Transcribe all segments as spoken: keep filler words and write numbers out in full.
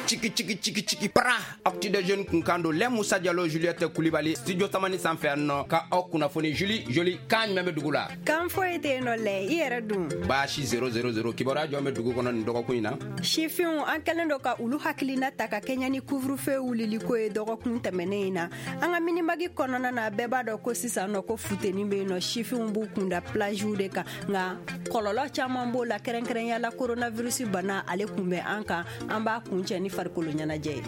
Ciki ciki ciki ciki para Actu des Jeunes kun kan don lɛ. Musa Jalo, Juliette Kulibali, studio tamani sanfɛ yan nɔ ka aw kunnafoni. Juli joli kan jumɛn bɛ dugu la? Kan foyi tɛ yen nɔ lɛ, i yɛrɛ dun? Baasi zéro zéro zéro. Kibaruya jɔn bɛ dugu kɔnɔ nin dɔgɔkun in na? Sifinw, an kɛlen don ka olu hakilina ta ka kɛɲɛ ni couvre-feu wuliliko ye dɔgɔkun tɛmɛnen in na. An ka Mini-Mag kɔnɔna na, bɛɛ b'a dɔn ko sisan nɔ ko futeni bɛ yen nɔ, sifinw b'u kunda plagew de kan, nka kɔlɔlɔ caman b'o la, kɛrɛnkɛrɛnya la coronavirus bana, ale kun bɛ an kan. An b'a kuncɛ ni farikolo ɲɛnajɛ ye.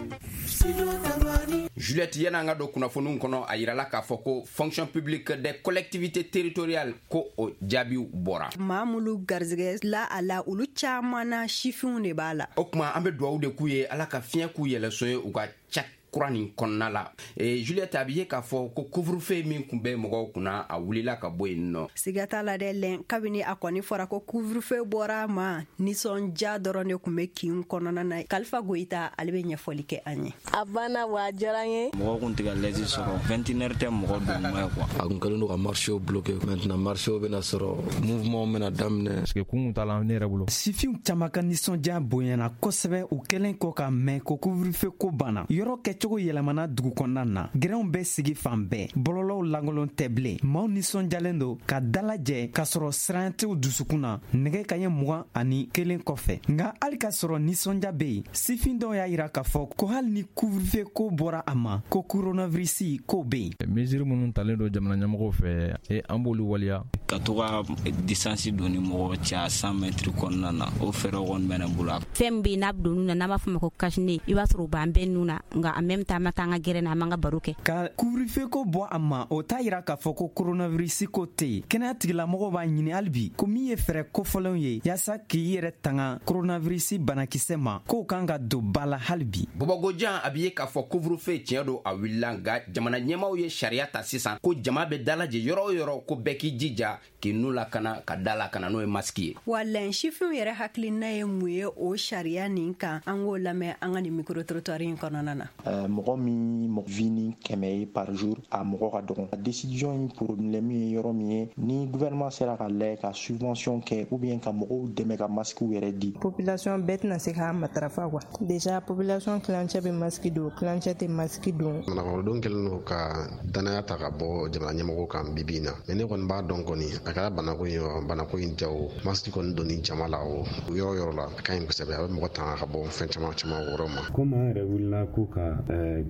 Juliette, yan'an ka don kunnafoniw kɔnɔ, a yirala k'a fɔ ko Fonction publique des collectivités territoriales, ko o jaabiw bɔra. Maa minnu garizigɛ la a la, olu caman na sifinw de b'a la. O tuma an bɛ duwawu de k'u ye, Ala ka fiɲɛ k'u yɛlɛso ye u ka ca kura nin kɔnɔna la. e, juliette, a bɛ ye k'a fɔ ko couvre-feu min kun bɛ mɔgɔw kunna, a wulila ka bɔ yen nɔ. Siga t'a la dɛ lɛn. Kabini a kɔni fɔra ko couvre-feu bɔra a ma, nisɔndiya dɔrɔn de kun bɛ kin kɔnɔna na. Kalifa Goyita, ale bɛ ɲɛfɔli kɛ an ye. A banna wa, a diyara n ye. Mɔgɔ kun tɛ ka l'aise sɔrɔ, vingt et une heures tɛ mɔgɔ don kuma ye quoi. A kun kɛlen don ka marché bloqué, maintenant marché bɛna sɔrɔ, mouvement bɛna daminɛ. Parce que kun t'a la ne yɛrɛ bolo. Sifinw caman ka nisɔndiya bonyana kosɛbɛ u kɛlen kɔ ka mɛn ko couvre-feu ko banna. Yɔrɔ kɛcogo yɛlɛmana dugu kɔnɔna na, gɛrɛnw bɛ sigi fan bɛɛ, bɔlɔlɔw lankolon tɛ bilen. Maaw nisɔndiyalen don ka dalajɛ k'a sɔrɔ siran t'u dusukun na nɛgɛ kaɲɛ mugan ani kelen kɔfɛ. Nka hali k'a sɔrɔ nisɔndiya bɛ yen, sifin dɔw y'a yira k'a fɔ ko hali ni couvre-feu ko bɔra a ma, ko coronavirus ko bɛ yen. Mesure minnu talen don jamana ɲɛmɔgɔw fɛ, e an b'olu waleya. Ka to ka distance don ni mɔgɔ cɛ a cent mètres kɔnɔna na, o fɛɛrɛ kɔni bɛ ne bolo. Fɛn min bɛ yen n'a bɛ don nun na, n'an b'a fɔ o ma ko cache-nez, i b'a sɔrɔ o b'an bɛɛ nun na, nka en même temps an ma taa an ka gɛrɛn na, an b'an ka baro kɛ. Ka couvre-feu ko bɔ a ma, o t'a yira k'a fɔ ko coronavirus ko tɛ yen. Kɛnɛya tigilamɔgɔw b'a ɲini hali bi ko min ye fɛɛrɛ kofɔlenw ye yaasa k'i yɛrɛ tanga coronavirus banakisɛ ma, k'o kan ka don ba la hali bi. Bɔbɔgojan, a bɛ ye k'a fɔ couvre-feu, tiɲɛ don, a wulila, nka jamana ɲɛmaaw ye sariya ta sisan ko jama bɛ dalajɛ yɔrɔ o yɔrɔ, ko bɛɛ k'i jija k'i nun lakana, ka da lakana, n'o ye masque ye. Wa lɛn, sifinw yɛrɛ hakilina ye mun ye o sariya nin kan? An k'o lamɛn an ka nin micro trottoir in kɔnɔna na. Mɔgɔ min vi ni kɛmɛ ye par jour, a mɔgɔ ka dɔgɔn. Décision in problème ye yɔrɔ min ye, ni gouvernement sera ka lajɛ ka subvention kɛ ou bien ka mɔgɔw dɛmɛ ka masque yɛrɛ di. Population bɛɛ tɛna se k'a matarafa quoi. Déjà population kilancɛ bɛ masque don, kilancɛ tɛ masque don. Manakɔrɔdenw kɛlen don ka danaya ta ka bɔ jamana ɲɛmɔgɔw kan bi bi in na, mais ne kɔni b'a dɔn kɔni, a kɛra banako ye o, banako in tɛ o, masque kɔni donni jama la o yɔrɔ yɔrɔ la, a ka ɲi kosɛbɛ, a bɛ mɔgɔ tanga ka bɔ fɛn caman caman wɛrɛw ma. Komi an yɛrɛ wulila ko ka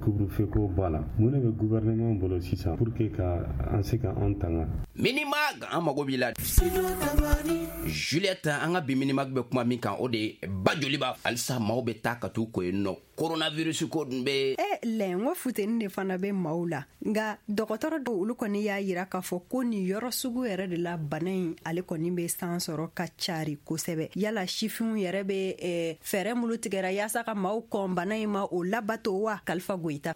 couvre-feu ko bɔ a la, mun de bɛ gouvernement bolo sisan pour que ka an se ka an tanga? Mini-Mag, an mago b'i la. Juliette, an ka bi Mini-Mag bɛ kuma min kan, o de ye ba joliba. Halisa maaw bɛ taa ka t'u ko yen nɔ, coronavirus ko dun bɛ. E lɛn, n ko futeni de fana bɛ maaw la, nka dɔgɔtɔrɔ dɔw, olu kɔni y'a yira k'a fɔ ko nin yɔrɔ sugu yɛrɛ de la, bana in ale kɔni bɛ san sɔrɔ ka cari kosɛbɛ. Yala sifinw yɛrɛ bɛ eh, fɛɛrɛ minnu tigɛra yaasa ka maaw kɔn bana in ma, o labato wa? Kalifa Goyita.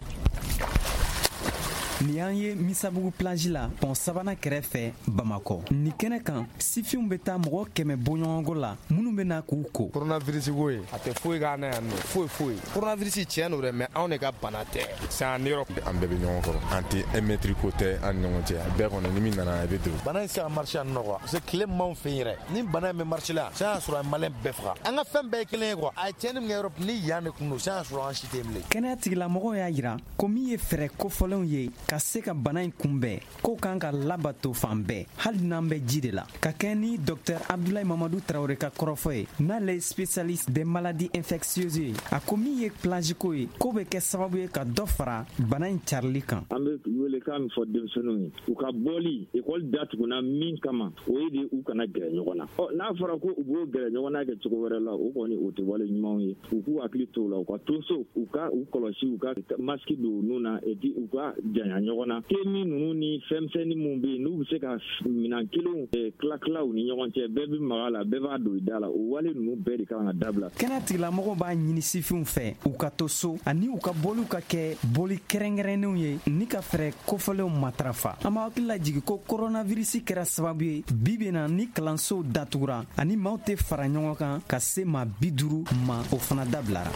Nin y'an ye Misabugu plage la, pont sabanan kɛrɛfɛ, Bamakɔ. Nin kɛnɛ kan, sifinw bɛ taa mɔgɔ kɛmɛ bɔɲɔgɔnko la minnu bɛ na k'u ko. Coronavirus ko ye, a tɛ foyi k'an na yan nɔ, foyi foyi. Coronavirus, tiɲɛ don dɛ, mais anw de ka bana tɛ. C'est en Europe. An bɛɛ bɛ ɲɔgɔn kɔrɔ, an tɛ un mètre ko tɛ an ni ɲɔgɔn cɛ. A bɛɛ kɔni, ni min nana, i bɛ don. Bana in se ka marché yan nɔ quoi, parce que tile m'anw fɛ yen yɛrɛ. Ni bana in bɛ marché la, sisan y'a sɔrɔ a ye malien bɛɛ faga. An ka fɛn bɛɛ ye kelen ye quoi. A ye tiɲɛni min kɛ Europe, ni yan de kun don, sisan y'a sɔrɔ an si tɛ yen bilen. Kɛnɛya tigilamɔgɔw y'a yira ko min ye fɛɛrɛ kofɔlenw ye ka se ka bana in kunbɛn, k'o kan ka labato fan bɛɛ, hali n'an bɛ ji de la. Ka kɛ ni docteur Abdulayi Mamadu Tarawele ka kɔrɔfɔ ye, n'ale ye spécialiste des maladies infectieuses ye, a ko min ye plage ko ye, k'o bɛ kɛ sababu ye ka dɔ fara bana in carili kan. An bɛ welekan min fɔ denmisɛnninw ye, u ka bɔli ekɔli datuguna min kama, o ye de u kana gɛrɛ ɲɔgɔn na. Ɔ n'a fɔra ko u b'o gɛrɛ ɲɔgɔn na kɛ cogo wɛrɛ la, o kɔni o tɛ wale ɲumanw ye. U k'u hakili to o la, u ka to so, u ka u kɔlɔsi, u ka masque don u nun na, et puis u ka janya ɲɔgɔn na. Temi ninnu ni fɛnmisɛnnin minnu bɛ yen, n'u bɛ se ka minɛn kelenw tila tila u ni ɲɔgɔn cɛ, bɛɛ bɛ maga la, bɛɛ b'a don i da la, o wale ninnu bɛɛ de kan ka dabila. Kɛnɛya tigilamɔgɔw b'a ɲini sifinw fɛ u ka to so, ani u ka bɔliw ka kɛ boli kɛrɛnkɛrɛnnenw ye ni ka fɛɛrɛ kofɔlenw matarafa. An b'a hakili lajigi ko koronavirisi kɛra sababu ye bi bi na ni kalansow datugura ani maaw tɛ fara ɲɔgɔn kan ka se maa bi duuru ma, o fana dabilara.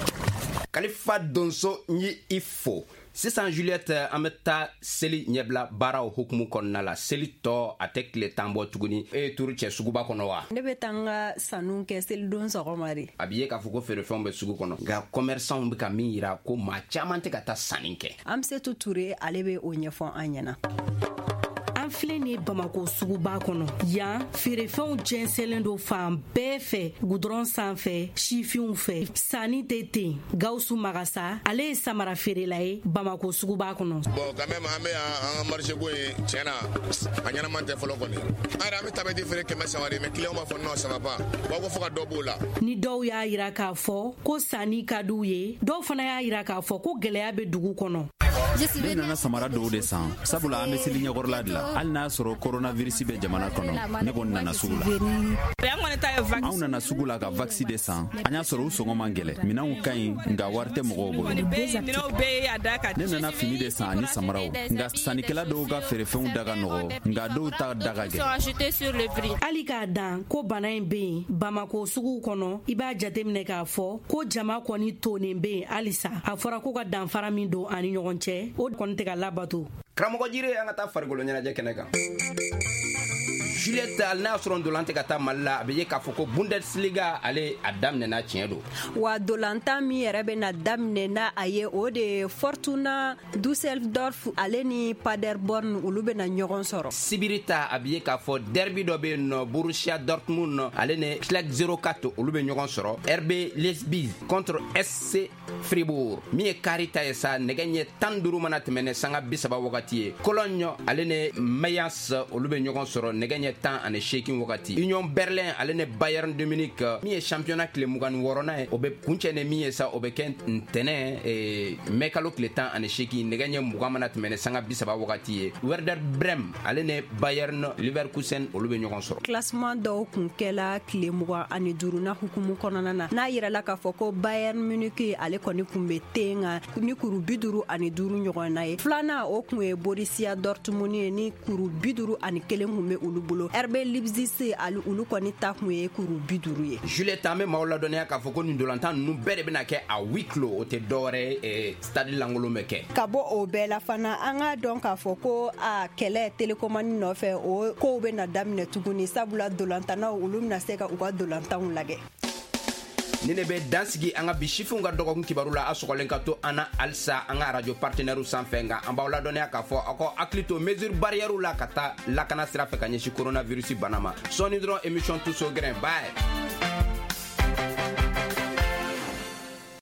Kalifa Donso n ye i fo. Sisan Juliette, an bɛ taa seli ɲɛbila baaraw hukumu kɔnɔna la. Seli tɔ a tɛ tile tan bɔ tuguni. E ye turu cɛ suguba kɔnɔ wa? Ne bɛ taa n ka sanu kɛ selidon sɔgɔma de. A b'i ye k'a fɔ ko feerefɛnw bɛ sugu kɔnɔ, nka commerçantw bɛ ka min yira ko maa caman tɛ ka taa sanni kɛ. Amsetu Ture ale bɛ o ɲɛfɔ an ɲɛna. An filɛ nin ye Bamakɔ suguba kɔnɔ. Yan feerefɛnw jɛnsɛnlen don fan bɛɛ fɛ, gudɔrɔn sanfɛ, sifinw fɛ, sanni tɛ ten. Gawusu Magasa ale ye samara feerela ye Bamakɔ suguba kɔnɔ. Bon quand même an bɛ yan, an ka marché ko in tiɲɛ na a ɲɛnama tɛ fɔlɔ kɔni. An yɛrɛ an bɛ tabɛti feere kɛmɛ saba de, mais client b'a fɔ non ça va pas, u b'a ko fo ka dɔ b'o la. Ni dɔw y'a yira k'a fɔ ko sanni ka d'u ye, dɔw fana y'a yira k'a fɔ ko gɛlɛya bɛ dugu kɔnɔ. Ne nana samara dɔw de san, sabula an bɛ seli ɲɛkɔrɔla de la. Hali n'a sɔrɔ coronavirus bɛ jamana kɔnɔ, ne kɔni nana sugu la. Anw nana sugu la ka vaccin de san. An y'a sɔrɔ u sɔngɔ man gɛlɛn, minɛnw ka ɲi, nka wari tɛ mɔgɔw bolo. Ne nana fini de san ani samaraw, nka sannikɛla dɔw ka feerefɛnw da ka nɔgɔ, nka dɔw ta da ka gɛlɛn. Hali k'a dan ko bana in bɛ yen Bamakɔ suguw kɔnɔ, i b'a jateminɛ k'a fɔ ko jama kɔni tonnen bɛ yen halisa. A fɔra ko ka danfara min don ani ɲɔgɔn cɛ, o kɔni tɛ ka labato. Karamɔgɔ Jire, an ka taa farikolo ɲɛnajɛ kɛnɛ kan. Juliette, hali n'a y'a sɔrɔ ndolan tɛ ka taa Mali la, a bɛ ye k'a fɔ ko Bundesliga ale a daminɛna, tiɲɛ don. Wa dolantan min yɛrɛ bɛ na daminɛ n'a a ye, o de ye Fortuna Düsseldorf ale ni Paderborn, olu bɛ na ɲɔgɔn sɔrɔ. Sibiri ta, a bɛ ye k'a fɔ derby dɔ bɛ yen nɔ, Borussia Dortmund ale ni Schalke zéro quatre olu bɛ ɲɔgɔn sɔrɔ. R B Leipzig contre S C Fribourg. Min ye kari ta ye sa, nɛgɛ ɲɛ tan duuru mana tɛmɛ ni sanga bi saba wagati ye. Cologne ale ni Mayence olu bɛ ɲɔgɔn sɔrɔ nɛgɛ ɲɛ tan ani seegin wagati. Union Berlin ale ni Bayern de Munich, min ye championnat tile mugan ni wɔɔrɔnan ye, o bɛ kuncɛ ni min ye sa, o bɛ kɛ ntɛnɛn mɛ kalo tile tan ani seegin nɛgɛ ɲɛ mugan mana tɛmɛ ni sanga bi saba wagati ye. Werder Bremen ale ni Bayern Leverkusen olu bɛ ɲɔgɔn sɔrɔ. Classement dɔw kun kɛla tile mugan ani duurunan hukumu kɔnɔna na, n'a yirala k'a fɔ ko Bayern Munich ale kɔni kun bɛ ten kan ni kuru bi duuru ani duuru ɲɔgɔn na ye. Filanan o kun ye Borussia Dortmund ye ni kuru bi duuru ani kelen kun bɛ olu bolo. R B Leipzig ale olu kɔni ta kun ye kuru bi duuru ye. Juliette, an bɛ maaw ladɔnniya k'a fɔ ko nin ndolantan ninnu bɛɛ de bɛna kɛ a huis clos, o tɛ dɔwɛrɛ ye, stade lankolon bɛ kɛ. Ka bɔ o bɛɛ la fana, an k'a dɔn k'a fɔ ko a kɛlɛ télécommande nɔfɛ, o kow bɛ na daminɛ tuguni, sabula ndolantannaw olu bɛna se ka u ka ndolantanw lajɛ. Ni ne bɛ dansigi an ka bi sifinw ka dɔgɔkun kibaru la, a sɔgɔlen ka to an na halisa an ka arajo partenaires sanfɛ. Nka an b'aw ladɔnniya k'a fɔ aw ka hakili to mesure barrière la ka taa lakana sira fɛ ka ɲɛsin coronavirus bana ma. Sɔɔni dɔrɔn émission Tous au grain, bye.